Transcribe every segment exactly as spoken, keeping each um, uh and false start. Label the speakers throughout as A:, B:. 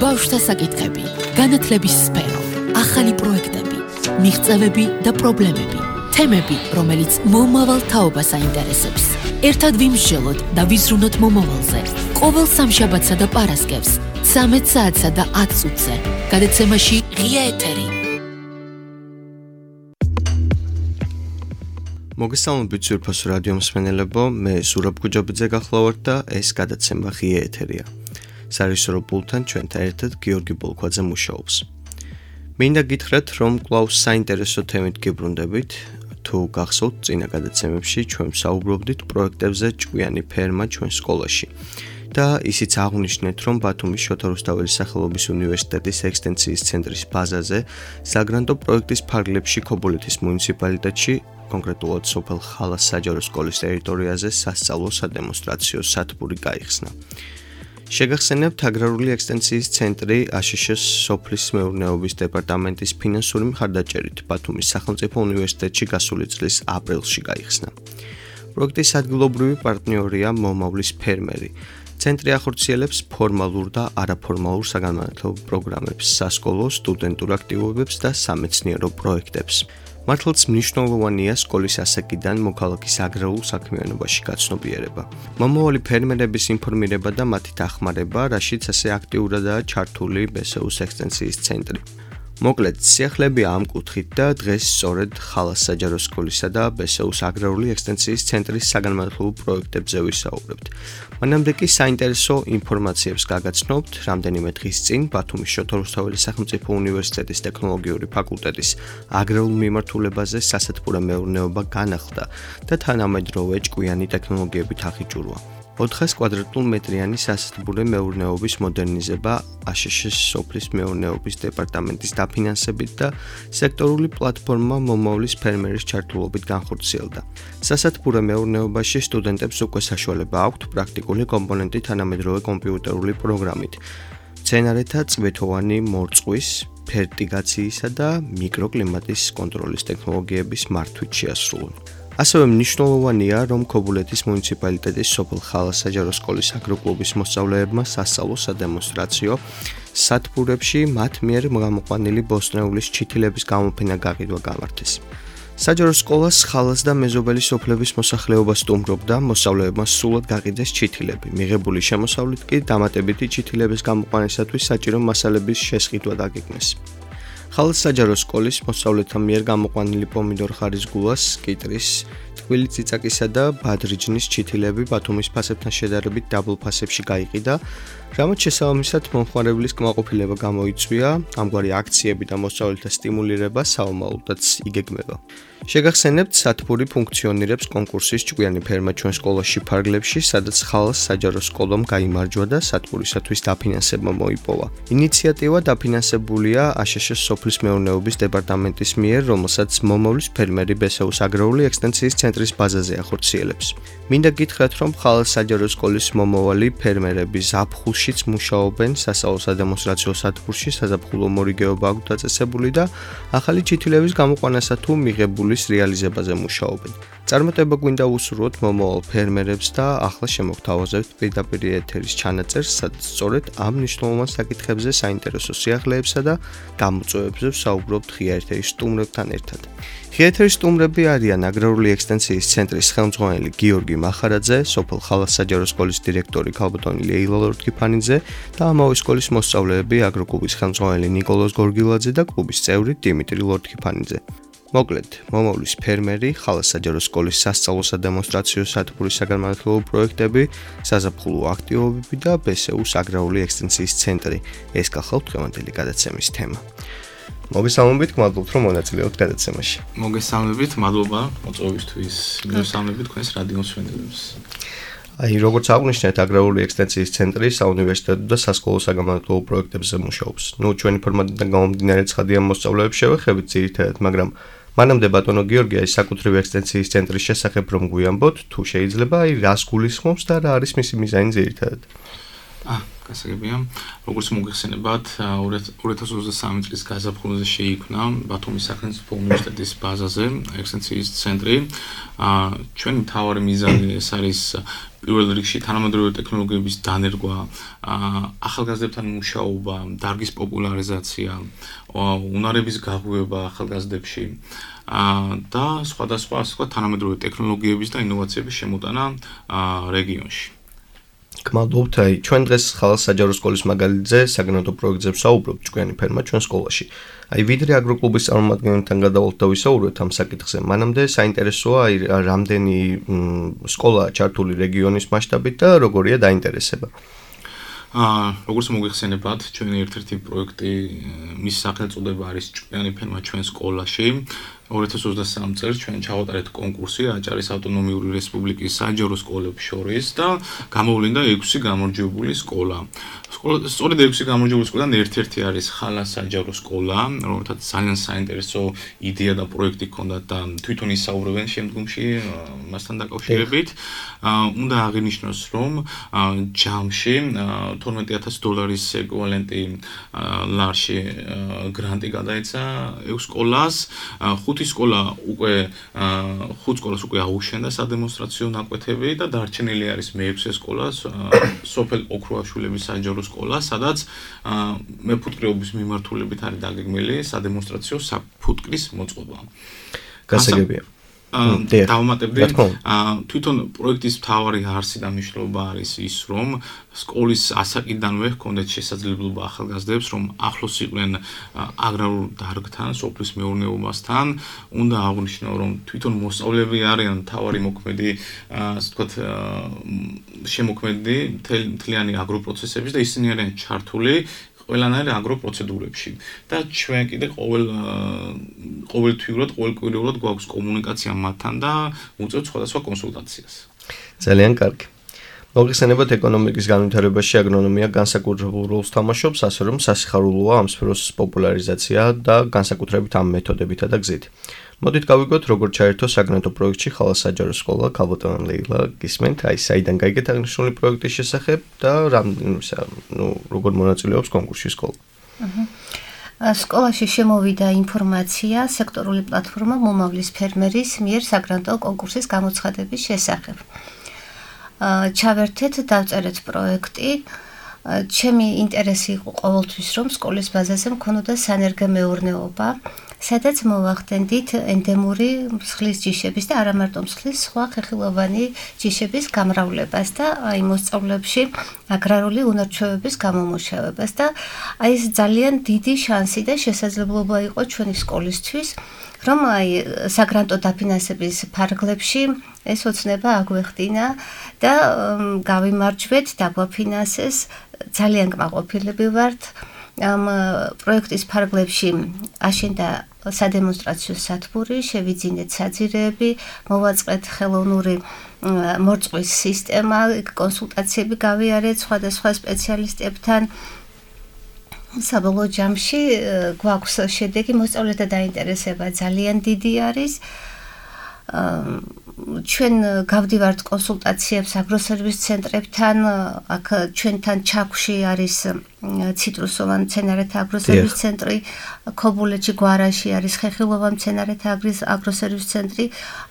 A: ბავშვთა საკითხები, განათლების სფერო, ახალი პროექტები, მიღწევები და პრობლემები, თემები, რომელიც მომავალ თაობას აინტერესებს. ერთად ვიმსჯელოთ და ვიზრუნოთ მომავალზე. ყოველ სამშაბათსა და პარასკევს, ცამეტ საათსა და ათ წუთზე, გადაცემაში ღია ეთერი.
B: მოგესალმებით ძვირფასო რადიო მსმენელებო, მე ზურაბ გუჯაბიძე გახლავართ და ეს გადაცემა ღია ეთერია. სარეჟისორო პულტთან ჩვენთან ერთად გიორგი ბოლქვაძე მუშაობს. მინდა გითხრათ, რომ კვლავ საინტერესო თემით გიბრუნდებით. თუ გახსოვთ, წინა გადაცემებში ჩვენ ვსაუბრობდით პროექტებზე ჭკვიანი ფერმა ჩვენ სკოლაში. და ისიც აღვნიშნეთ, რომ ბათუმის შოთა რუსთაველის სახელობის უნივერსიტეტის ექსტენსიის ცენტრის ბაზაზე საგრანტო პროექტის ფარგლებში ქობულეთის მუნიციპალიტეტში, კონკრეტულად სოფელ ხალას საჯარო სკოლის ტერიტორიაზე სასწავლო სადემონსტრაციო სათბური გაიხსნა. შეგახსენებთ, აგრარული ექსტენსიის ცენტრი აშშ-ის სოფლის მეურნეობის დეპარტამენტის ფინანსური მხარდაჭერით ბათუმის სახელმწიფო უნივერსიტეტში გასული წლის აპრილში გაიხსნა. პროექტის ადგილობრივი პარტნიორია მომავლის ფერმერი. ცენტრი ახორციელებს ფორმალურ და არაფორმალურ საგანმანათლებლო პროგრამებს, სასკოლო, სტუდენტურ აქტივობებს და სამეცნიერო პროექტებს. მართლაც მნიშვნელოვანია სკოლის ასაკიდან მოქალაქის აგრარულ საქმიანობაში გაცნობიერება. მომავალი ფერმერების ინფორმირება და მათი დახმარება, რაშიც ასე აქტიურადაა ჩართული ბესეუს ექსტენსიის ცენტრი. მოკლედ, სიახლეები ამ კუთხით და დღეს სწორედ ხალას საჯარო სკოლისა და ბესეუს აგრარული ექსტენსიის ცენტრის საგანმანათლებლო პროექტებზე ვისაუბრებთ. მანამდე კი საინტერესო ინფორმაციებს გაგაცნობთ. რამდენიმე დღის წინ ბათუმის შოთა რუსთაველის სახელმწიფო უნივერსიტეტის ტექნოლოგიური ფაკულტეტის აგრარულ მიმართულებაზე სასათბურე მეურნეობა განახლდა და თანამედროვე ჭკვიანი ტექნოლოგიებით ახიჭურვა. ოთხას კვადრატულ მეტრიანი სასათბურე მეურნეობის მოდერნიზება აშშ-ის სოფლის მეურნეობის დეპარტამენტის დაფინანსებით და სექტორული პლატფორმა მომავლის ფერმერის ჩართულობით განხორციელდა. სასათბურე მეურნეობაში სტუდენტებს უკვე საშუალება აქვთ პრაქტიკული კომპონენტი თანამედროვე კომპიუტერული პროგრამით, მცენარეთა წვეთოვანი მორწყვის, ფერტიგაციისა და მიკროკლიმატის კონტროლის ტექნოლოგიების მართვით შეასრულონ. ასევე მნიშვნელოვანია, რომ ქობულეთის მუნიციპალიტეტის სოფელ ხალას საჯარო სკოლის აგროკლუბის მოსწავლეებმა სასწავლო სადემონსტრაციო სათბურებში მათ მიერ გამოყვანილი ბოსტნეულის ჩითილების გამოფენა გაყიდვა გამართეს. საჯარო სკოლას ხალას და მეზობელი სოფლების მოსახლეობა სტუმრობდა, მოსწავლეებმა სრულად გაყიდეს ჩითილები. მიღებული შემოსავლით კი დამატებითი ჩითილების გამოყვანისათვის საჭირო მასალების შესყიდვა დაგეგმეს. ხალას საჯარო სკოლის მოსწავლეთა მიერ გამოყვანილი პომიდორ ხარის გულას, კიტრის, ტკბილი წიწაკისა და ბადრიჯნის ჩითილები ბათუმის ფასებთან შედარებით დაბლ ფასებში გაიყიდა, რამაც შესაბამისად მომხმარებლის კმაყოფილება გამოიწვია, ამგვარი აქციები და მოსწავლეთა სტიმულირება საომალოდაც იგეგმება. შეგახსენებთ, სათბური ფუნქციონირებს კონკურსის ჭკვიანი ფერმა ჩვენ სკოლაში ფარგლებში, სადაც ხალას საჯარო სკოლამ გაიმარჯვა და სათბურისათვის დაფინანსება მოიპოვა. ინიციატივა დაფინანსებულია აშშ-ის სოფლის მეურნეობის დეპარტამენტის მიერ, რომელსაც მომავლის ფერმერი ბესეუს აგრარული ექსტენსიის ცენტრის ბაზაზე ახორციელებს. მინდა გითხრათ, რომ ხალას საჯარო სკოლის მომავალი ფერმერები ზაფხულშიც მუშაობენ სასწავლო სადემონსტრაციო სათბურში, საზაფხულო მორიგეობა აქვთ დაწესებული და ახალი ჩითილების გამოყვანასა თუ მიღებული რეალიზებაზე მუშაობენ. წარმატება გვინდა უსურვოთ მომავალ ფერმერებს და ახლა შემოგთავაზებთ პირდაპირ ეთერის ჩანაწერს, სადაც სწორედ ამ მნიშვნელოვან საკითხებზე საინტერესო სიახლეებსა და გამოწვევებზე ვსაუბრობთ ღია ეთერის სტუმრებთან ერთად. ღია ეთერის სტუმრები არიან აგრარული ექსტენსიის ცენტრის ხელმძღვანელი გიორგი მახარაძე, სოფელ ხალას საჯარო სკოლის დირექტორი ქალბატონი ლეილა ლორთქიფანიძე და ამავე სკოლის მოსწავლეები აგროკლუბის ხელმძღვანელი ნიკოლოზ გორგილაძე და კლუბის წევრი დიმიტრი ლორთქიფანიძე. მოკლედ, მომავლის ფერმერი, ხალას საჯარო სკოლის სასწავლო სადემონსტრაციო სათბურის საგანმანათლებლო პროექტები, საზაფხულო აქტივობები და ბესეუს აგრარული ექსტენსიის ცენტრი. ეს გახლავთ დღევანდელი გადაცემის თემა. მოგესალმებით, მადლობთ, რომ მონაწილეობთ გადაცემაში.
C: მოგესალმებით, მადლობა მოწვევისთვის. მოგესალმებით თქვენს რადიო მსმენელებს.
B: აი, როგორც აღვნიშნეთ, აგრარული ექსტენსიის ცენტრი საუნივერსიტეტო და სასკოლო საგანმანათლებლო პროექტებზე მუშაობს. ნუ ჩვენი ფორმატიდან გამომდინარე ცხადია მოსწავლეებს შევეხებით ძირითადად, მაგრამ მანამდე ბატონო გიორგი, აი საკუთრივ ექსტენსიის ცენტრის შესახებ რომ გვიამბოთ, თუ შეიძლება, აი რას გულისხმობს და რა არის მისი მიზანი ძირითადად?
C: აა, გასაგებია. როგორც მოგეხსენებათ, ორი ათას ოცდასამი წლის გაზაფხულზე შეიქმნა ბათუმის სახელმწიფო უნივერსიტეტის ბაზაზე ექსცენტრიის ცენტრი. აა, ჩვენი მთავარი მიზანი ეს არის პირველ რიგში თანამედროვე ტექნოლოგიების დანერგვა, ახალგაზრდებთან მუშაობა, დარგის პოპულარიზაცია, უნარების გაღვივება ახალგაზრდებში და სხვადასხვა სხვა თანამედროვე ტექნოლოგიების და ინოვაციების შემოტანა რეგიონში.
B: გმადლობთ, აი, ჩვენ დღეს ხალხ საჯარო სკოლის მაგალითზე საგრანტო პროექტზე ვსაუბრობთ ჭკვიანი ფერმა ჩვენ სკოლაში. აი, ვიდრე აგროკლუბის წარმომადგენელთან გადავალთ და ვისაუბროთ ამ საკითხზე, მანამდე საინტერესოა აი რამდენი სკოლა ჩართული რეგიონის მასშტაბით და როგორია დაინტერესება.
C: აა, როგორც მოგეხსენებათ, ჩვენი ერთ-ერთი პროექტი მის სახელწოდება არის ჭკვიანი ფერმა ჩვენ სკოლაში. ორი ათას ოცდასამი წელს ჩვენ ჩავატარეთ კონკურსი აჭარის ავტონომიური რესპუბლიკის საჯარო სკოლებს შორის და გამოვლინდა ექვსი გამარჯვებული სკოლა. სწორედ ექვსი გამარჯვებული სკოლიდან ერთ-ერთი არის ხალა საჯარო სკოლა, რომელთაც ძალიან საინტერესო იდეა და პროექტი ჰქონდათ და თვითონ ისაუბრებენ შემდგომში მასთან დაკავშირებით. უნდა აღინიშნოს, რომ ჯამში თორმეტი ათასი დოლარის ეკვივალენტი ლარში გრანტი გადაეცა ექვს სკოლას. ხუთი სკოლა უკვე ხუთ სკოლას უკვე აუშენდა სადემონსტრაციო ნაკვეთები და დარჩენილი არის მეექვსე სკოლა, სოფელ ოქროაშვილების საჯარო სკოლა, სადაც მეფუტკრეობის მიმართულებით არის დაგეგმილი სადემონსტრაციო საფუტკრის მოწყობა.
B: გასაგებია.
C: დავამატებდი, თვითონ პროექტის მთავარი არსი და მნიშვნელობა არის ის, რომ სკოლის ასაკიდანვე ჰქონდეთ შესაძლებლობა ახალგაზრდებს, რომ ახლოს იყვნენ აგრარულ დარგთან, სოფლის მეურნეობასთან. უნდა აღვნიშნო, რომ თვითონ მოსწავლეები არიან მთავარი მოქმედი, ასე ვთქვათ, შემოქმედი მთლიანი აგროპროცესების და ისინი არიან ჩართული ყველანაირ აგროპროცედურებში და ჩვენ კიდე ყოველ ყოველთვიურად, ყოველკვირეულად გვაქვს კომუნიკაცია მათთან და უწევთ სხვადასხვა კონსულტაციას.
B: ძალიან კარგი. მოგეხსენებათ, ეკონომიკის განვითარებაში აგრონომია განსაკუთრებულ როლს თამაშობს, ასე რომ სასიხარულოა ამ სფეროს პოპულარიზაცია და განსაკუთრებით ამ მეთოდებითა და გზით. მოდით გავიგოთ, როგორ ჩაერთო საგრანტო პროექტში ხალა საჯარო სკოლა. ქალბატონი ლეილა, გისმენთ, აი საიდან გაიგეთ აღნიშნული პროექტის შესახებ და ნუ როგორ მონაწილეობს კონკურსში სკოლა.
D: სკოლაში შემოვიდა ინფორმაცია სექტორული პლატფორმა მომავლის ფერმერის მიერ საგრანტო კონკურსის გამოცხადების შესახებ. ჩავერთეთ, დავწერეთ პროექტი. ჩემი ინტერესი იყო ყოველთვის, რომ სკოლის ბაზაზე მქონოდა სანერგემეურნეობა, სადაც მოვახდენდით ენდემური მსხლის ჯიშების და არა მარტო მსხლის, სხვა ხეხილოვანი ჯიშების გამრავლებას და აი მოსწავლეებში აგრარული უნარჩვევების გამომუშავებას და აი ეს ძალიან დიდი შანსი და შესაძლებლობა იყო ჩვენი სკოლისთვის, რომ აი საგრანტო დაფინანსების ფარგლებში ეს ოცნება აგვეხდინა და გავიმარჯვეთ, დაგვაფინანსეს, ძალიან კმაყოფილები ვართ. ამ პროექტის ფარგლებში აშენდა სადემონსტრაციო სათბური, შევიძინეთ საძირეები, მოვაწყეთ ხელოვნური მორწყვის სისტემა, კონსულტაციები გავიარეთ სხვადასხვა სპეციალისტებთან. საბოლოო ჯამში გვაქვს შედეგი, მოსწავლეთა დაინტერესება ძალიან დიდი არის. ჩვენ გავდივართ კონსულტაციებს აგროსერვის ცენტრებთან, აქ ჩვენთან ჩაქვში არის ციტრუსოვან მცენარეთა აგროსერვის ცენტრი, ქობულეთში გვარაში არის ხეხილოვან მცენარეთა აგროსერვის ცენტრი,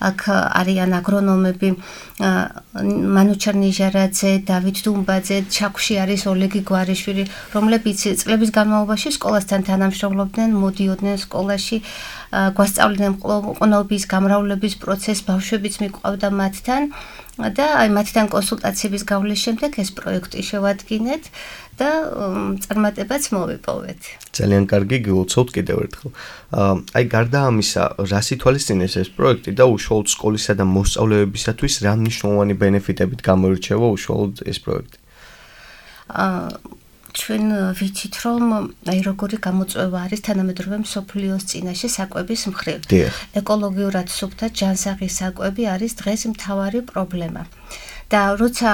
D: აქ არიან აგრონომები მანუჩარ ნიჟარაძე, დავით დუმბაძე, ჩაქვში არის ოლეგი გვარიშვილი, რომლებიც წლების განმავლობაში სკოლასთან თანამშრომლობდნენ, მოდიოდნენ სკოლაში, გვასწავლიდნენ ყნობის, გამრავლების პროცესს, ბავშვებიც მიყვავდა მათთან და აი მათთან კონსულტაციების გავლის შემდეგ ეს პროექტი შევადგინეთ და წარმატებაც მოვიპოვეთ.
B: ძალიან კარგი, გილოცავთ კიდევ ერთხელ. აი გარდა ამისა, რას ითვალისწინებს ეს პროექტი და უშუალოდ სკოლისა და მოსწავლეებისათვის რა მნიშვნელოვანი ბენეფიტებით გამოირჩევა უშუალოდ ეს პროექტი? ჩვენ ვიცით, რომ აი როგორი გამოწვევა არის თანამედროვე მსოფლიოს წინაშე საკვების მხრივ. ეკოლოგიურად სუფთა ჯანსაღი საკვები არის დღეს მთავარი პრობლემა. და როცა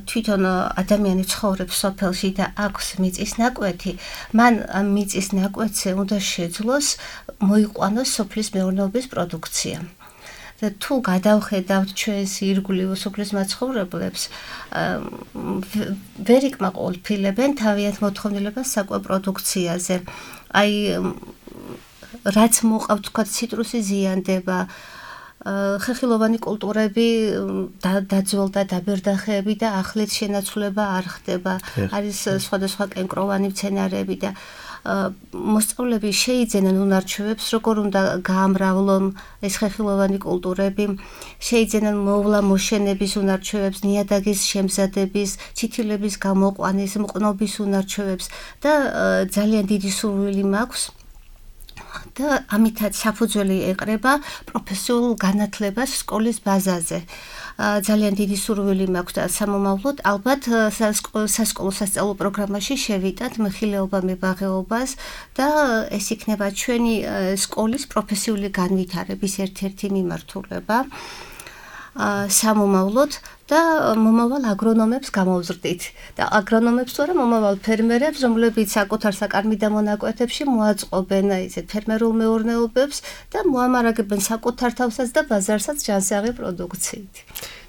B: თვითონ ადამიანი ცხოვრობს სოფელში და აქვს მიწის ნაკვეთი, მან ამ მიწის ნაკვეთზე უნდა შეძლოს მოიყვანოს სოფლის მეურნეობის პროდუქცია.
D: და თუ გადავხედავთ ჩვენს ირგვლივ სოფლის მაცხოვრებლებს, ვერ იკმაყოფილებენ თავიანთ მოთხოვნილებას საკვებ პროდუქციაზე. აი რაც მოყავთ თქვა ციტრუსი ზიანდება, ხეხილოვანი კულტურები დაძველდა დაბერდახეები და ახლით შენაცვლება არ ხდება. არის სხვადასხვა კენკროვანი მცენარეები და მოსწავლეები შეიძენენ უნარჩვევებს, როგორ უნდა გაამრავლონ ეს ხეხილოვანი კულტურები, შეიძენენ მოვლა მოშენების უნარჩვევებს, ნიადაგის შემზადების, ცითილების გამოყვანის, მყნობის უნარჩვევებს და ძალიან დიდი სურვილი მაქვს და ამითაც საფუძველი ეყრება პროფესიულ განათლებას სკოლის ბაზაზე. ძალიან დიდი სურვილი მაქვს და სამომავლოდ ალბათ სასკოლო სასწავლო პროგრამაში შევიტანთ მეხილეობა მებაღეობას და ეს იქნება ჩვენი სკოლის პროფესიული განვითარების ერთ-ერთი მიმართულება. სამომავლოდ და მომავალ აგრონომებს გამოვზრდით და აგრონომებს თუ არა მომავალ ფერმერებს, რომლებიც საკუთარ საკარმი დამონაკვეთებში მოაწყობენ ისეთ ფერმერულ მეურნეობებს და მოამარაგებენ საკუთარ თავსაც და ბაზარსაც ჯანსაღი პროდუქციით.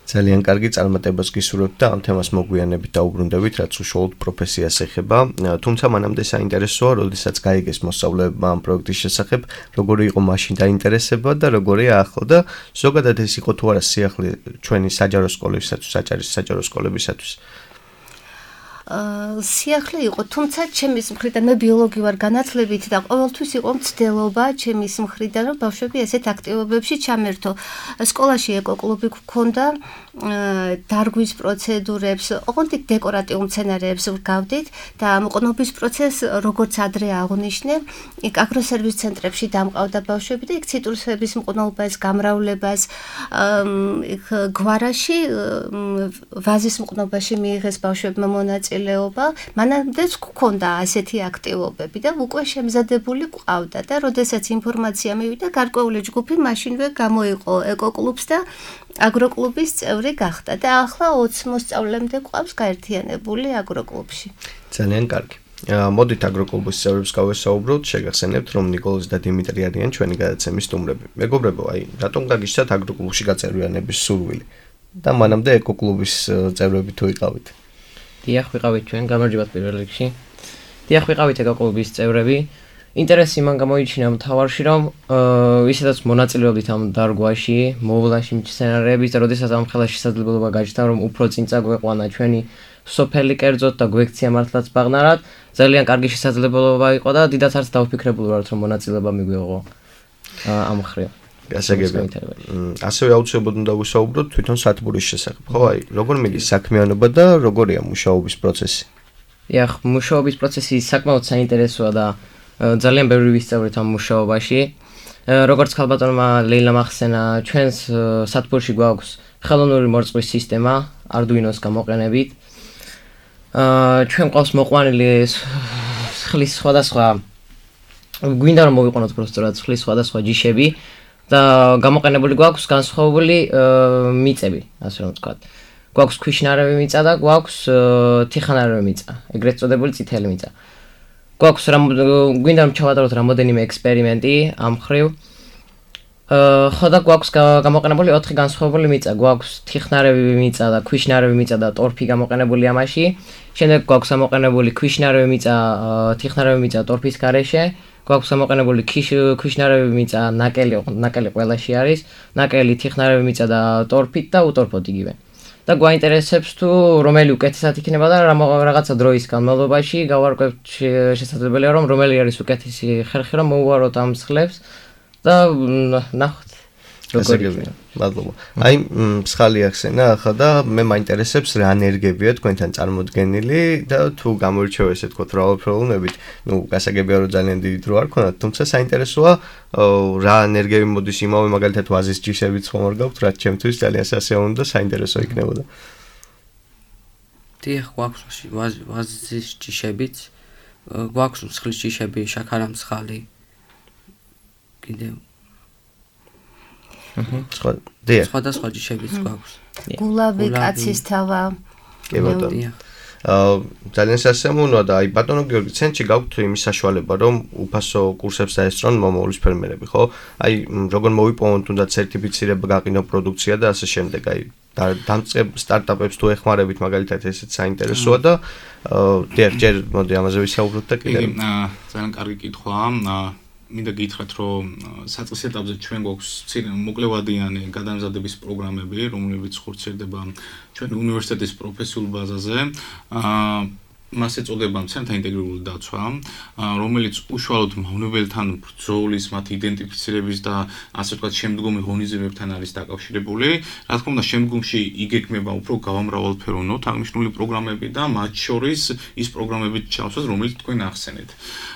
B: ძალიან კარგი წარმატებას გისურვებთ და ამ თემას მოგვიანებით დაუბრუნდებით, რაც უშუალოდ პროფესიას ეხება. თუმცა მანამდე საინტერესოა, როდესაც გაიგეს მოსწავლეებმა ამ პროექტის შესახებ, როგორი იყო მაშინ დაინტერესება და როგორია ახლა და ზოგადად ეს იყო თუ არა სიახლე ჩვენი საჯარო სკოლებისათვის, საჯარის საჯარო სკოლებისათვის.
D: სიახლე იყო, თუმცა ჩემის მხრიდან მე ბიოლოგი ვარ განათლებით და ყოველთვის იყო მცდელობა ჩემის მხრიდან, რომ ბავშვები ესეთ აქტივობებში ჩამერთო. სკოლაში ეკოკლუბი გქონდა, დარგვის პროცედურებს, ოღონდ დეკორატიულ მცენარეებს ვგავდით და მყნობის პროცესს, როგორც ადრე აღნიშნე, იქ აგროსერვის ცენტრებში დამყავდა ბავშვები და იქ ციტრუსების მყნობას, გამრავლებას, იქ გვარაში ვაზის მყნობაში მიიღეს ბავშვებმა მონაწილეობა. მანამდეც გქონდა ასეთი აქტივობები და უკვე შემზადებული ყავდა და როდესაც ინფორმაცია მივიდა, გარკვეული ჯგუფი მაშინვე გამოიყო ეკოკლუბს და აგროკლუბის წევრი გახდა და ახლა ოცი მოსწავლემდე ყავს გაერთიანებული აგროკლუბში.
B: ძალიან კარგი. მოდით აგროკლუბის წევრებს გავესაუბროთ, შეგახსენებთ, რომ ნიკოლოზ და დიმიტრი არიან ჩვენი გადაცემის სტუმრები. მეგობრებო, აი, რატომ გაგიჩნდათ აგროკლუბში გაწევრიანების სურვილი და მანამდე ეკოკლუბის წევრები თუ იყავით?
E: დიახ, ვიყავით ჩვენ გამარჯვებათ პირველ რიგში. დიახ, ვიყავით ეკოკლუბის წევრები. ინტერესი მან გამოიჩინა მთავარში, რომ ისედაც მონაწილეობდით ამ დარგვაში, მოვლაში მცენარეების და როდესაც ამ ხელა შესაძლებლობა გაჩნდა, რომ უფრო წინ წაგვეყვანა ჩვენი სოფელი კერძოდ და გვექცია მართლაც ბაღნარად, ძალიან კარგი შესაძლებლობა იყო და დიდად არც დავფიქრებული ვართ, რომ მონაწილეობა მიგვიღო ამ მხრივ.
B: გასაგებია. ასევე აუცილებლად უნდა ვისაუბროთ თვითონ სათბურის შესახებ. ხო, აი, როგორ მიდის საქმიანობა და როგორია მუშაობის პროცესი?
E: დიახ, მუშაობის პროცესი საკმაოდ საინტერესოა და ძალიან ბევრი ვისწავლეთ ამ მუშაობაში. როგორც ქალბატონმა ლეილამ ახსენა, ჩვენს სათბურში გვაქვს ხელოვნური მორწყვის სისტემა Arduino-ს გამოყენებით. ჩვენ ყავს მოყვანილი ხლის სხვადასხვა გვინდა რომ მოვიყენოთ პროსტორად ხლის სხვადასხვა ჯიშები და გამოყენებული გვაქვს განსხვავებული მიწები, ასე რომ ვთქვათ. გვაქვს ქვიშნარევი მიწა და გვაქვს თიხანარევი მიწა, ეგრეთ წოდებული წითელი მიწა. გვაქვს გვინდა რომ ჩავატაროთ რამოდენიმე ექსპერიმენტი ამ ხრივ. ხო და გვაქვს გამოყენებული ოთხი განსხვავებული მიწა, გვაქვს თიხნარევი მიწა და ქვიშნარევი მიწა და ტორფი გამოყენებული ამაში. შემდეგ გვაქვს გამოყენებული ქვიშნარევი მიწა, თიხნარევი მიწა ტორფის გარეშე. გვაქვს გამოყენებული ქვიშნარევი მიწა, ნაკელი, ნაკელი ყველაში არის, ნაკელი, თიხნარევი მიწა და ტორფით და უტორფოდ იგივე. და გვაინტერესებს თუ რომელი უკეთესად იქნება და რაღაცა დროის განმავლობაში გავარკვევთ შესაძლებელია რომ რომელი არის უკეთესი ხერხი რომ მოვუაროთ ამ მსხლებს და ნახოთ
B: გასაგებია. მადლობა. აი, მსხალი ახსენა ახლა და მე მაინტერესებს რა ენერგიებია თქვენთან წარმოდგენილი და თუ გამოირჩევა ესე თქო რავალფროვნებით, ნუ გასაგებია რომ ძალიან დიდი დრო არ ქონათ, თუმცა საინტერესოა რა ენერგიები მოდის იმავე მაგალითად ვაზის ჯიშებიც ხომ არ გაქვთ, რაც ჩემთვის ძალიან სასიამოვნო და საინტერესო იქნებოდა.
F: დიახ, გვაქვს ვაზის ჯიშებიც, გვაქვს მსხლის ჯიშები, შაქარა მსხალი. კიდევ
B: სხვა დიახ.
F: სხვადასხვა ჯიშებიც გვაქვს.
D: გულავი, კაცის თავა.
B: კი ბატონო. ძალიან სასიამოვნოა და აი ბატონო გიორგი ცენტრში გაქვთ იმის საშუალება რომ უფასო კურსებს დაესწრონ მომავლის ფერმერები ხო? აი როგორ მოვიპოვონ თუნდაც სერტიფიცირება გაყინო პროდუქცია და ასე შემდეგ აი დამწყებ სტარტაპებს თუ ეხმარებით მაგალითად ესეც საინტერესოა და დიახ ჯერ მოდი ამაზე ვისაუბროთ და კიდევ
C: ძალიან კარგი კითხვაა მინდა გითხრათ რომ საწყის ეტაპზე ჩვენ გვაქვს მოკლევადიანი გადამზადების პროგრამები რომლებიც ხორციელდება ჩვენი უნივერსიტეტის პროფესიულ ბაზაზე მას ეწოდება მცენარეთა ინტეგრირებული დაცვა, რომელიც უშუალოდ მავნებელთან ბრძოლის, მათ იდენტიფიცირების და ასე ვთქვათ, შემდგომი ღონისძიებებთან არის დაკავშირებული. რა თქმა უნდა, შემდგომში იგეგმება უფრო გავამრავალფეროვნოთ აღნიშნული პროგრამები და მათ შორის ის პროგრამებით ჩავსვათ, რომელიც თქვენ ახსენეთ.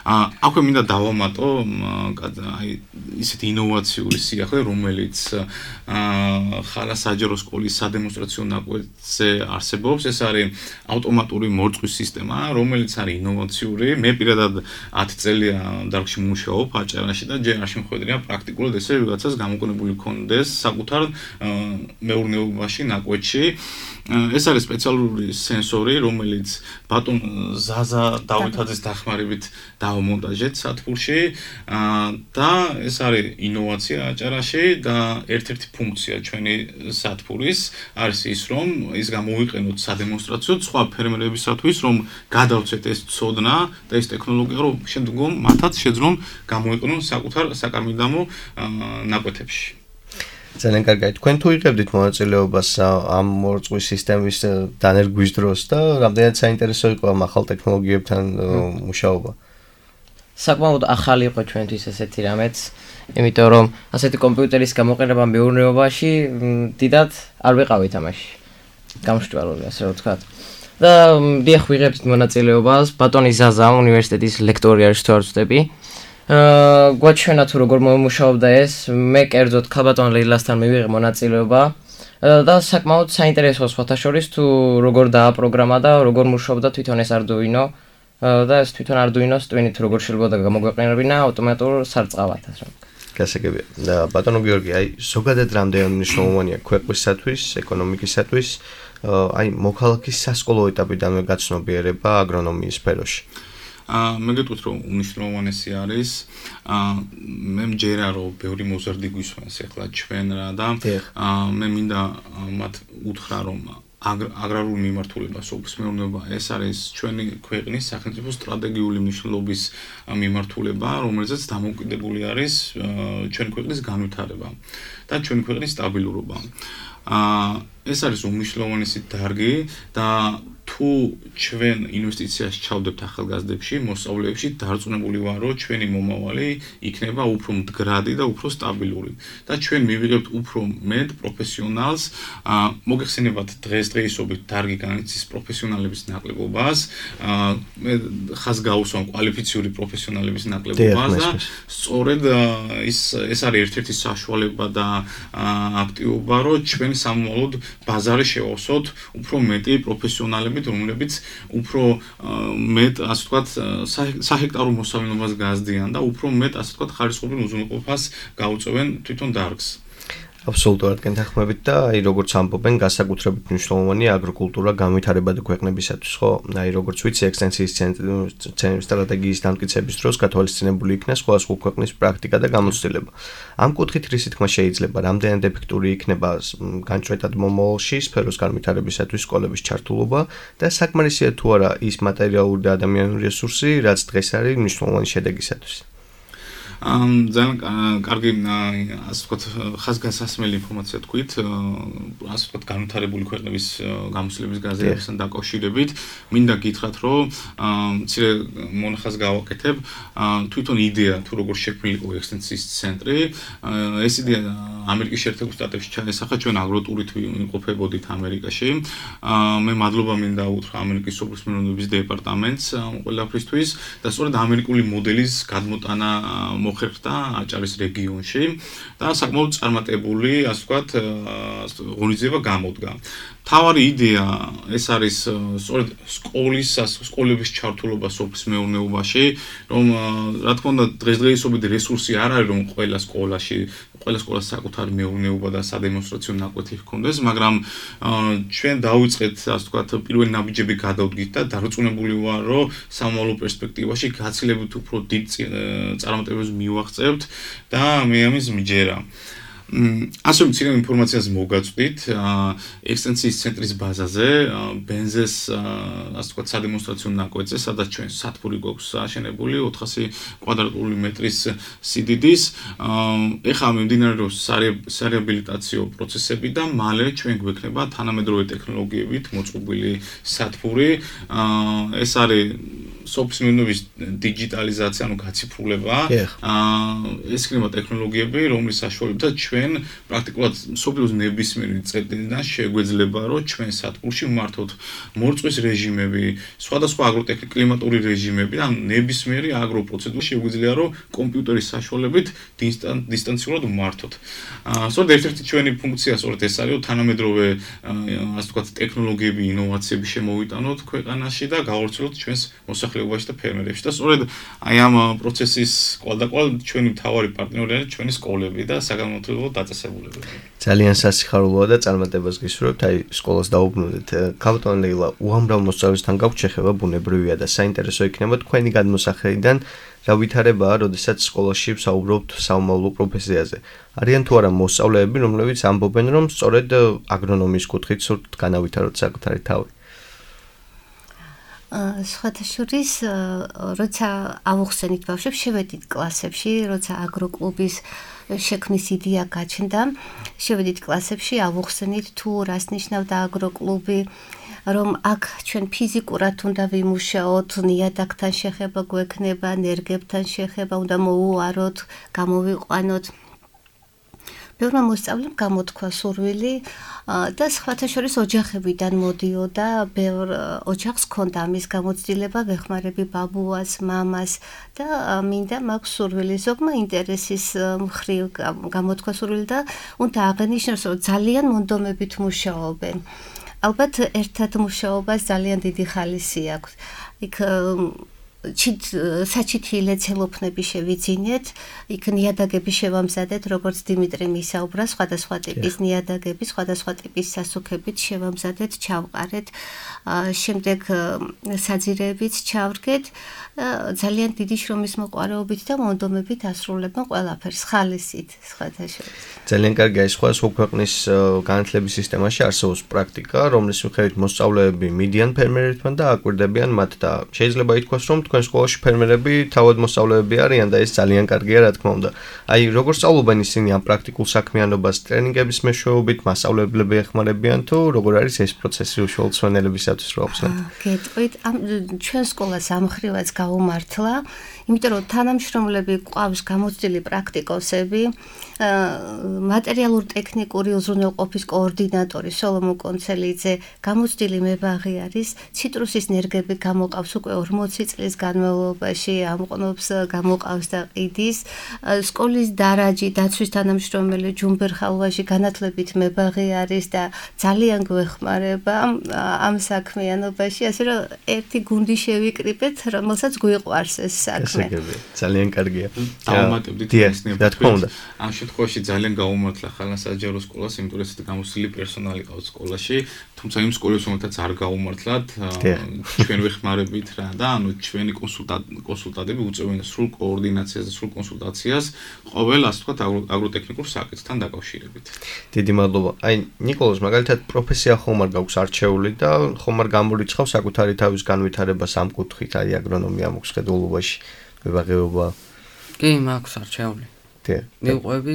C: აქვე მინდა დავამატო აი ისეთი ინოვაციური სიახლე, რომელიც ხალა საჯარო სკოლის სადემონსტრაციო ნაკვეთზე არსებობს, ეს არის ავტომატური მორწყვის სისტემა, რომელიც არის ინოვაციური. მე პირადად ათი წელია დარგში მუშაობ აჭარაში და ჯერ არ შემხვედრია პრაქტიკულად ესე ვიღაცას გამოკონებული ქონდეს საკუთარ მეურნეობაში, ნაკვეთში. ეს არის სპეციალური სენსორი, რომელიც ბატონ ზაზა დავითაძის დახმარებით დავამონტაჟეთ სათბურში და ეს არის ინოვაცია აჭარაში და ერთ-ერთი ფუნქცია ჩვენი სათბურის არის ის, რომ ის გამოვიყენოთ სადემონსტრაციოდ სხვა ფერმერებისათვის, რომ გადავცეთ ეს ცოდნა და ეს ტექნოლოგია, რომ შემდგომ მათაც შეძლონ გამოიყენონ საკუთარ საკარმიდამო ნაკვეთებში.
B: ძალიან კარგია. თქვენ თუ იღებდით მონაწილეობას ამ მორწყვის სისტემის დანერგვის დროს და რამდენად საინტერესო იყო ამ ახალ ტექნოლოგიებთან მუშაობა?
E: საკმაოდ ახალი იყო ჩვენთვის ესეთი რამეც, იმიტომ რომ ასეთი კომპიუტერის გამოყენება მეურნეობაში დიდად არ ვიყავით ამაში. გამშვიდობი, ასე რომ ვთქვათ. და დიახ, ვიღებთ მონაწილეობას, ბატონი ზაზა უნივერსიტეტის ლექტორი არის თუ არ ვცდები. აა გვაჩვენა თუ როგორ მომუშაობდა ეს, მე კერძოდ ქალბატონ ლეილასთან მივიღე მონაწილეობა და საკმაოდ საინტერესო სხვათა შორის თუ როგორ დააპროგრამა და როგორ მუშაობდა თვითონ ეს Arduino და ეს თვითონ Arduino-ს ტვინით როგორ შეიძლება გამოგვეყენებინა ავტომატურ სარწყავად ასე რომ.
B: გასაგებია. და ბატონო გიორგი, აი ზოგადად რამდენად მნიშვნელოვანია ქვეყნისათვის, ეკონომიკისათვის აი მოქალაქის სასკოლო ეტაპიდანვე გაცნობიერება აგრონომიის სფეროში.
C: მე გეტყვით რომ უნიშნულოვანესი არის მე მჯერა რომ ბევრი მოზარდი გვისვენს ახლა ჩვენ რა და მე მინდა მათ უთხრა რომ აგრარული მიმართულებას ოფის მეურნეობა ეს არის ჩვენი ქვეყნის სახელმწიფო სტრატეგიული მნიშვნელობის მიმართულება რომელზეც დამოკიდებული არის ჩვენი ქვეყნის განვითარება და ჩვენი ქვეყნის სტაბილურობა ეს არის უმნიშვნელოვანესი დარგი და თუ ჩვენ ინვესტიციას ჩავდებთ ახალგაზრდებში, მოსწავლეებში, დარწმუნებული ვარ, რომ ჩვენი მომავალი იქნება უფრო მდგრადი და უფრო სტაბილური. და ჩვენ მივიღებთ უფრო მეტ პროფესიონალს, მოგეხსენებათ დღესდღეობით დარგი განიცდის პროფესიონალების ნაკლებობას, მე ხას გავუსვამ კვალიფიციური პროფესიონალების ნაკლებობას და სწორედ ის ეს არის ერთ-ერთი საშუალება და აქტივობა, რომ ჩვენ სამომავლოდ ბაზარი შევავსოთ უფრო მეტი პროფესიონალები რომლებიც უფრო მეტ ასე ვთქვათ საჰექტარო მოსავალნობას გაზრდიან და უფრო მეტ ასე ვთქვათ ხარისხობრივ უზრუნველყოფას გაუწევენ თვითონ დარგს.
B: აბსოლუტურად გენთანხმებით და აი როგორც ამბობენ განსაკუთრებით მნიშვნელოვანია აგროკულტურა განვითარებადი ქვეყნებისათვის, ხო? აი როგორც ვიცი ექსტენსიის ცენტრის სტრატეგიის დამტკიცების დროს გათვალისწინებული იქნა სხვადასხვა ქვეყნის პრაქტიკა და გამოცდილება. ამ კუთხით რისი თქმა შეიძლება, რამდენად ეფექტური იქნება განჭრეტად მომავალში სფეროს განვითარებისათვის სკოლების ჩართულობა და საკმარისია თუ არა ის მატერიალური და ადამიანური რესურსი, რაც დღეს არის მნიშვნელოვანი შედეგისათვის.
C: ამ ძალიან კარგი ასე ვთქვათ ხაზგასასმელი ინფორმაცია თქვით ასე ვთქვათ განვითარებული ქვეყნების გამოცდილების გაზრდებასთან დაკავშირებით მინდა გითხრათ რომ მცირე მონახაზს გავაკეთებ თვითონ იდეა თუ როგორ შექმნილი იყო ექსტენსიის ცენტრი ეს იდეა ამერიკის შეერთებულ შტატებში ჩაესახა ჩვენ აგროტურით ვიმყოფებოდით ამერიკაში მე მადლობა მინდა უთხრა ამერიკის სოფლის მეურნეობის დეპარტამენტს ყველაფრისთვის და სწორედ ამერიკული მოდელის გადმოტანა მოხერხდა აჭარის რეგიონში და საკმაოდ წარმატებული, ასე ვთქვათ, ღონისძიება გამოდგა. თავარი იდეა ეს არის სწორედ სკოლის სკოლების ჩართულობა სოფლის მეურნეობაში, რომ რა თქმა უნდა დღესდღეობით რესურსი არ არის რომ ყველა სკოლაში, ყველა სკოლას საკუთარი მეურნეობა და სადემონსტრაციო ნაკვეთი ჰქონდეს, მაგრამ ჩვენ დავიწყეთ ასე ვთქვათ პირველი ნაბიჯები გადავდგით და დარწმუნებული ვარ, რომ სამომავლო პერსპექტივაში გაცილებით უფრო დიდ წარმატებებს მივაღწევთ და მე ამის მჯერა. ასე მცირე ინფორმაციას მოგაწვდით ექსტენსიის ცენტრის ბაზაზე, ბენზეს ასე ვთქვათ სადემონსტრაციო ნაკვეთზე, სადაც ჩვენ სათბური გვაქვს აშენებული ოთხასი კვადრატული მეტრის სიდიდის. ეხლა მიმდინარეობს სარეაბილიტაციო პროცესები და მალე ჩვენ გვექნება თანამედროვე ტექნოლოგიებით მოწყობილი სათბური. ეს არის სოფლის მეურნეობის დიჯიტალიზაცია, ანუ გაციფრულება. ეს იქნება ტექნოლოგიები, რომლის საშუალებითაც ჩვენ პრაქტიკულად სოფლის ნებისმიერი წერტილიდან შეგვეძლება, რომ ჩვენ სათბურში ვმართოთ მორწვის რეჟიმები, სხვადასხვა აგროტექნიკ-კლიმატური რეჟიმები, ან ნებისმიერი აგროპროცედურა შეგვიძლია, რომ კომპიუტერის საშუალებით დისტანციურად ვმართოთ. სწორედ ერთ-ერთი ჩვენი ფუნქცია სწორედ ეს არის, რომ თანამედროვე ასე ვთქვათ ტექნოლოგიები, ინოვაციები შემოვიტანოთ ქვეყანაში და გავავრცელოთ ჩვენს მოსახლეობაში და ფერმერებში. და სწორედ აი ამ პროცესის კვალდაკვალ ჩვენი მთავარი პარტნიორი არის ჩვენი სკოლები და საგანმანათლებლო დაწესებულებები.
B: ძალიან სასიხარულოა და წარმატებას გისურვებთ. აი სკოლას დაუბრუნდით. ქალბატონ ლეილა, უამრავ მოსწავლესთან გაქვთ შეხება, ბუნებრივია და საინტერესო იქნება თქვენი გადმოსახედიდან რა ვითარებაა, როდესაც სკოლაში ვსაუბრობთ სამომავლო პროფესიაზე. არიან თუ არა მოსწავლეები, რომლებიც ამბობენ, რომ სწორედ აგრონომიის კუთხით სურთ განავითაროთ საკუთარი თავი.
D: სხვათა შორის, როცა ავუხსენით ბავშვებს, შევედით კლასებში, როცა აგროკლუბის შექმნის იდეა გაჩნდა, შევედით კლასებში, ავუხსენით თუ რას ნიშნავდა აგროკლუბი, რომ აქ ჩვენ ფიზიკურად უნდა ვიმუშაოთ, ნიადაგთან შეხება გვექნება, ნერგებთან შეხება უნდა მოუაროთ, გამოვიყვანოთ. ბევრმა მოსწავლემ გამოთქვა სურვილი და სხვათა შორის ოჯახებიდან მოდიოდა, ბევრ ოჯახს ჰქონდა ამის გამოცდილება, ვეხმარები ბაბუას, მამას და მინდა მაქვს სურვილი, ზოგმა ინტერესის მხრივ გამოთქვა სურვილი და უნდა აღენიშნოს, რომ ძალიან მონდომებით მუშაობენ. ალბათ ერთად მუშაობას ძალიან დიდი ხალისი აქვს. იქ ჩით საჩითილე ცელოფნები შევიძინეთ, იქ ნიადაგები შევამზადეთ, როგორც დიმიტრი მისაუბრა, სხვადასხვა ტიპის ნიადაგები, სხვადასხვა ტიპის სასუქებით შევამზადეთ, ჩავყარეთ, შემდეგ საძირეებიც ჩავრგეთ, ძალიან დიდი შრომის მოყვარეობით და მონდომებით ასრულებენ ყველაფერს, ხალისით, სხვათა შორის.
B: ძალიან კარგია, ეს სხვა ქვეყნის განათლების სისტემაში არსებობს პრაქტიკა, რომლის მიხედვით მოსწავლეები მიდიან ფერმერებთან და აკვირდებიან მათ და შეიძლება ითქვას, რომ თქვენ სკოლაში ფერმერები თავად მოსწავლეები არიან და ეს ძალიან კარგია, რა თქმა უნდა. აი, როგორ სწავლობენ ისინი ამ პრაქტიკულ საქმიანობას ტრენინგების მეშვეობით, მასწავლებლები ეხმარებიან თუ როგორ არის ეს პროცესი უშუალოდ სვენელებისათვის რო ახსნათ?
D: გეტყვით, ამ ჩვენ სკოლას ამხრივაც გაუმართლა, იმიტომ რომ თანამშრომლები ყავს გამოცდილი პრაქტიკოსები, მატერიალურ-ტექნიკური უზრუნველყოფის კოორდინატორი სოლომონ კონცელიძე, გამოცდილი მებაღი არის, ციტრუსის ნერგები გამოყავს უკვე ორმოცი წლის განმავლობაში, ამყნობს, გამოყავს და ყიდის, სკოლის დარაჯი, დაცვის თანამშრომელი ჯუმბერ ხალვაში განათლებით მებაღი არის და ძალიან გვეხმარება ამ საქმიანობაში, ასე რომ ერთი გუნდი შევიკრიბეთ, რომელსაც გვიყვარს ეს საქმე.
B: ძალიან კარგია.
C: დავუმატებდით
B: ეს ნებართვა.
C: ამ შემთხვევაში ძალიან გაუმართლა ხალხასაჯარო სკოლას, იმიტომ რომ ესეთი გამოცდილი პერსონალი ყავს სკოლაში, თუმცა იმ სკოლებს რომელთაც არ გაუმართლათ, ჩვენ ვეხმარებით რა და ანუ ჩვენი კონსულტანტები უწევენ სრულ კოორდინაციას და სრულ კონსულტაციას ყოველ ასე ვთქვათ აგროტექნიკურ საკითხთან დაკავშირებით.
B: დიდი მადლობა. აი ნიკოლოზ, მაგალითად პროფესია ხომ არ გაქვს არჩეული და ხომ არ გამორიცხავს საკუთარი თავის განვითარებას ამ კუთხით, აი აგრონომია მოქვს ხედულობაში, მებაღეობა.
F: კი, მაქვს არჩეული. მივყვები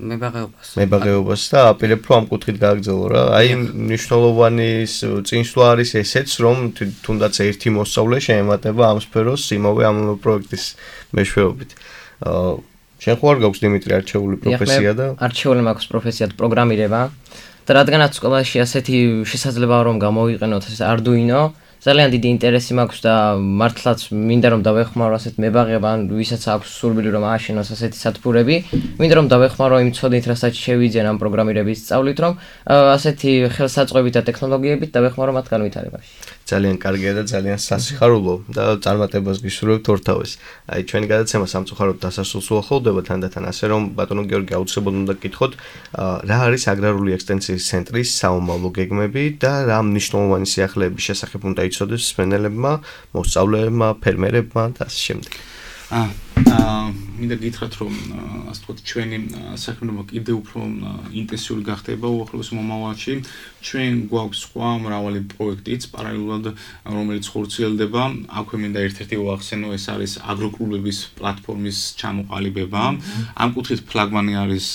F: მებაღეობას.
B: მებაღეობას და აპირებ რომ ამ კუთხით გააგრძელო რა. აი მნიშვნელოვანი წინსვლა არის ესეც, რომ თუნდაც ერთი მოსწავლე შეემატება ამ სფეროს იმავე ამ პროექტის მეშვეობით. შენ ხო არ გაქვს დიმიტრი არჩეული პროფესია და?
E: არჩეული მაქვს პროფესიად პროგრამირება და რადგანაც სკოლაში ასეთი შესაძლებაა რომ გამოვიყენოთ ეს Arduino, ძალიან დიდი ინტერესი მაქვს და მართლაც მინდა რომ დავეხმარო ასეთ მებაღებ ან ვისაც აქვს სურვილი რომ ააშენოს ასეთი სათბურები, მინდა რომ დავეხმარო იმ ცოდნით, რასაც შევიძენ ამ პროგრამირების სწავლით, რომ ასეთი ხელსაწყოებით და ტექნოლოგიებით დავეხმარო მათ განვითარებაში.
B: ძალიან კარგია და ძალიან სასიხარულო და წარმატებას გისურვებთ ორთავეს. აი ჩვენი გადაცემა სამწუხაროდ დასასრულს უახლოვდება თანდათან, ასე რომ ბატონო გიორგი აუცილებლად უნდა გკითხოთ, რა არის აგრარული ექსტენსიის ცენტრის საომავლო გეგმები და რა მნიშვნელოვანი სიახლეების შესახებ უნდა იცოდეს მსმენელებმა, მოსწავლეებმა, ფერმერებმა და ასე შემდეგ.
C: აა მინდა გითხრათ რომ ასე ვთქვათ ჩვენი საქმიანობა კიდევ უფრო ინტენსიური გახდება უახლოეს მომავალში. ჩვენ გვაქვს სხვა მრავალი პროექტიც პარალელურად რომელიც ხორციელდება. აქვე მინდა ერთ-ერთი ვახსენო, ეს არის აგროკლუბების პლატფორმის ჩამოყალიბება. ამ კუთხით ფლაგმანი არის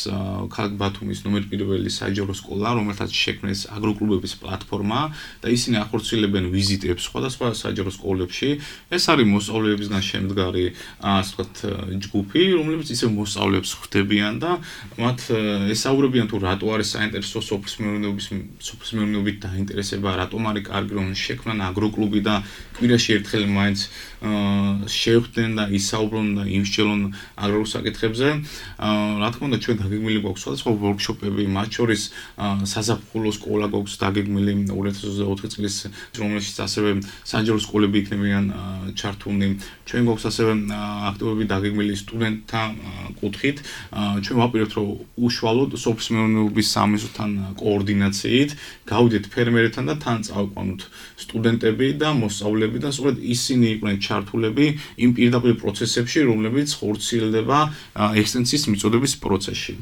C: ქალაქ ბათუმის ნომერ პირველი საჯარო სკოლა, რომელთაც შექმნეს აგროკლუბების პლატფორმა და ისინი ახორციელებენ ვიზიტებს სხვადასხვა საჯარო სკოლებში. ეს არის მოსწავლეებისგან შემდგარი ასე ვთქვათ ჯგუფი, რომლებიც ისე მოსწავლეებს ხვდებიან და მათ ესაუბრებიან თუ რატო არის საინტერესო სოფლის მეურნეობის სოფლის მეურნეობით დაინტერესება, რატომ არის კარგი რომ შექმნან აგროკლუბი და კვირაში ერთხელ მაინც შევხვდნენ და ისაუბრონ და იმსჯელონ აგრარულ საკითხებზე. რა თქმა უნდა ჩვენ დაგეგმილი გვაქვს სხვადასხვა ვორქშოპები, მათ შორის საზაფხულო სკოლა გვაქვს დაგეგმილი ორი ათას ოცდაოთხი წლის, რომელშიც ასევე საჯარო სკოლები იქნებიან ჩართულნი. ჩვენ გვაქვს ასევე აქტივობები დაგეგმილი სტუდენტთა კუთხით. ჩვენ ვაპირებთ რომ უშუალოდ სოფლის მეურნეობის სამინისტროსთან კოორდინაციით გავიდეთ ფერმერებთან და თან წავყვანოთ სტუდენტები და მოსწავლეები და სწორედ ისინი იყვნენ ჩართულები იმ პირდაპირ პროცესებში, რომლებიც ხორციელდება ექსტენსიის მიწოდების პროცესში.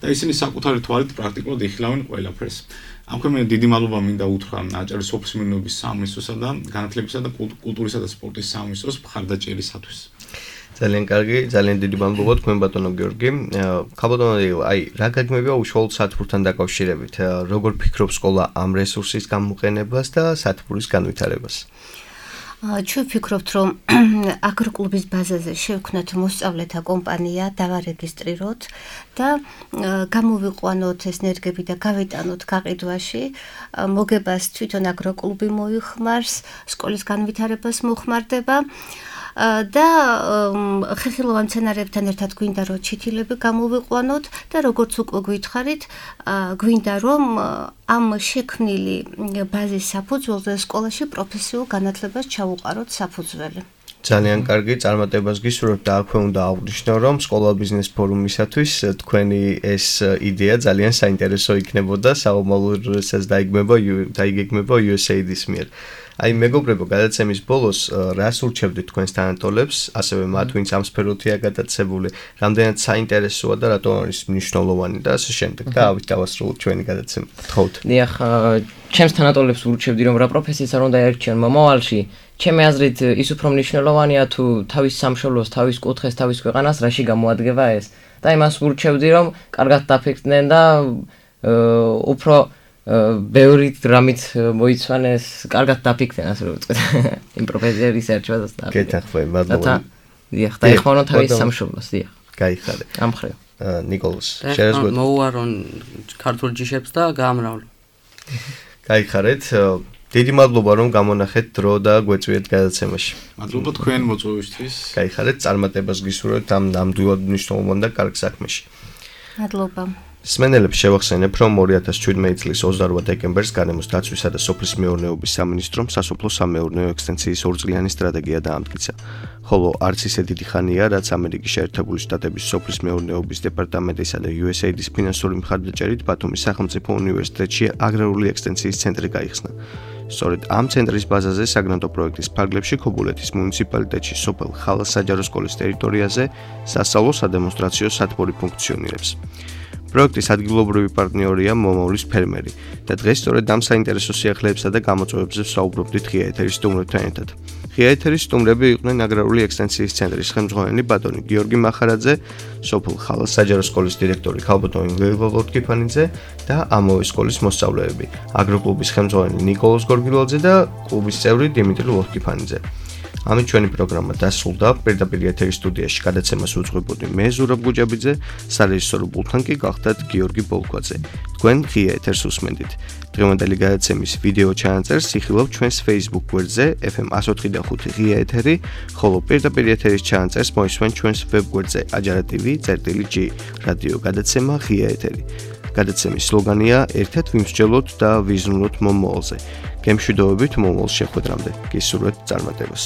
C: და ისინი საკუთარი თვალით პრაქტიკულად იხილავენ ყველაფერს. აქვე მე დიდი მადლობა მინდა უთხრა აჭარის სოფლის მეურნეობის სამინისტროსა და განათლებისა და კულტურისა და სპორტის სამინისტროს მხარდაჭერისათვის.
B: ძალიან კარგი, ძალიან დიდი მადლობა თქვენ ბატონო გიორგი. ხალბატონო, აი რა გაგმებია უშუალოდ სათბურთან დაკავშირებით? როგორ ფიქრობ სკოლა ამ რესურსის გამოყენებას და სათბურის განვითარებას?
D: ჩვენ ვფიქრობთ, რომ აგროკლუბის ბაზაზე შევქმნათ მოსწავლეთა კომპანია, დავარეგისტრიროთ და გამოვიყვანოთ ეს ნერგები და გავიტანოთ გაყიდვაში. მოგებას თვითონ აგროკლუბი მოიხმარს, სკოლის განვითარებას მოხმარდება. და ხეხილოვან მცენარეებთან ერთად გვინდა რომ ჩითილები გამოვიყვანოთ და როგორც უკვე გითხარით, გვინდა რომ ამ შექმნილი ბაზის საფუძველზე სკოლაში პროფესიულ განათლებას ჩაუყაროთ საფუძველი.
B: ძალიან კარგი, წარმატებას გისურვებთ და აქვე უნდა აღვნიშნო, რომ სკოლა ბიზნეს ფორუმისათვის თქვენი ეს იდეა ძალიან საინტერესო იქნებოდა, საომავლოებსაც დაიგეგმება იუ ეს ეი დის მიერ. აი მეგობრებო, გადაცემის ბოლოს რას ურჩევდით თქვენს თანატოლებს, ასევე მათ, ვინც ამ სფეროთია გადაცებული, რამდენად საინტერესოა და რატომ არის მნიშვნელოვანი და ასე შემდეგ. და ავით დავასრულოთ ჩვენი გადაცემა. გთხოვთ.
E: დიახ, ჩემს თანატოლებს ურჩევდი, რომ რა პროფესიას არ უნდა ერჩიონ მომავალში. ჩემი აზრით, ის უფრო მნიშვნელოვანია თუ თავის სამშობლოს, თავის კუთხეს, თავის ქვეყანას რაში გამოადგება ეს. და იმას ურჩევდი, რომ კარგად დაფიქრდნენ და უფრო ბევრი დრამით მოიცვანეს, კარგად დაფიქრდნენ, ასე რომ ვიტყვით. იმ პროფესიის ერჩევას და.
B: გეთანხმები, მადლობა.
E: დიახ, დაეხმაროთ თავის სამშობლოს, დიახ.
B: გაიხარე.
E: ამ მხრივ.
B: ნიკოლოზ, შეერზღოთ.
F: მოუარონ ქართულ ჯიშებს და გაამრავლო.
B: გაიხარეთ. დიდი მადლობა რომ გამონახეთ დრო და გვეწვიეთ გადაცემაში.
C: მადლობა თქვენ მოწვევისთვის.
B: გაიხარეთ, წარმატებას გისურვებთ ამ ნამდვილად მნიშვნელოვან და კარგ საქმეში.
D: მადლობა.
B: მსმენელებს შევახსენებ, რომ ორი ათას შვიდმეტი წლის ოცდაორმა დეკემბერს გარემოს დაცვისა და სოფლის მეურნეობის სამინისტრომ სასოფლო სამეურნეო ექსტენსიის ორწლიანი სტრატეგია დაამტკიცა. ხოლო არც ისე დიდი ხანია, რაც ამერიკის შეერთებული შტატების სოფლის მეურნეობის დეპარტამენტისა და იუ ეს ეი დის ფინანსური მხარდაჭერით ბათუმის სახელმწიფო უნივერსიტეტში აგრარული ექსტენსიის ცენტრი გაიხსნა. სწორედ ამ ცენტრის ბაზაზე საგრანტო პროექტის ფარგლებში ქობულეთის მუნიციპალიტეტში სოფელ ხალას საჯარო სკოლის ტერიტორიაზე სასწავლო სადემონსტრაციო სათბური ფუნქციონირებს. პროექტის ადგილობრივი პარტნიორია მომავლის ფერმერი და დღეს სწორედ ამ საინტერესო სიახლეებსა და გამოწვევებზე ვსაუბრობდით ღია ეთერის სტუმრებთან ერთად. ღია ეთერის სტუმრები იყვნენ აგრარული ექსტენსიის ცენტრის ხელმძღვანელი ბატონი გიორგი მახარაძე, სოფელ ხალას საჯარო სკოლის დირექტორი ქალბატონი ლეილა ლოტკიფანიძე და ამავე სკოლის მოსწავლეები, აგროკლუბის ხელმძღვანელი ნიკოლოზ გორგილაძე და კლუბის წევრი დიმიტრი ლოტკიფანიძე. ამით ჩვენი პროგრამა დასრულდა. პირდაპირ ეთერის სტუდიაში გადაცემას უძღვებოდი მე ზურაბ გუჯაბიძე, სარეჟისორო პულტთან კი გახდათ გიორგი ბოლქვაძე. თქვენ ღია ეთერს უსმენდით. დღევანდელი გადაცემის ვიდეო ჩანაწერს იხილავთ ჩვენს Facebook გვერდზე ეფ ემ one oh five point five ღია ეთერი, ხოლო პირდაპირ ეთერის ჩანაწერს მოისმენთ ჩვენს ვებ გვერდზე აჯარა ტივი წერტილი ჯი რადიო გადაცემა ღია ეთერი. გადაცემის სლოგანია ერთად ვიმსჯელოთ და ვიზრუნოთ მომავალზე. გემშვიდობებით მომავალ შეხვედრამდე. გისურვებთ წარმატებას.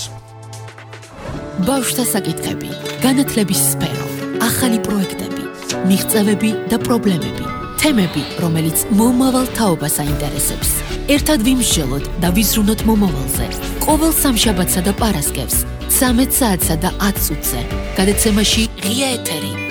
A: ბავშვთა საკითხები, განათლების სფერო, ახალი პროექტები, მიღწევები და პრობლემები, თემები, რომელიც მომავალ თაობას აინტერესებს. ერთად ვიმსჯელოთ და ვიზრუნოთ მომავალზე. ყოველ სამშაბათსა და პარასკევს, ცამეტ საათსა და ათ წუთზე. გადაცემაში ღია ეთერი.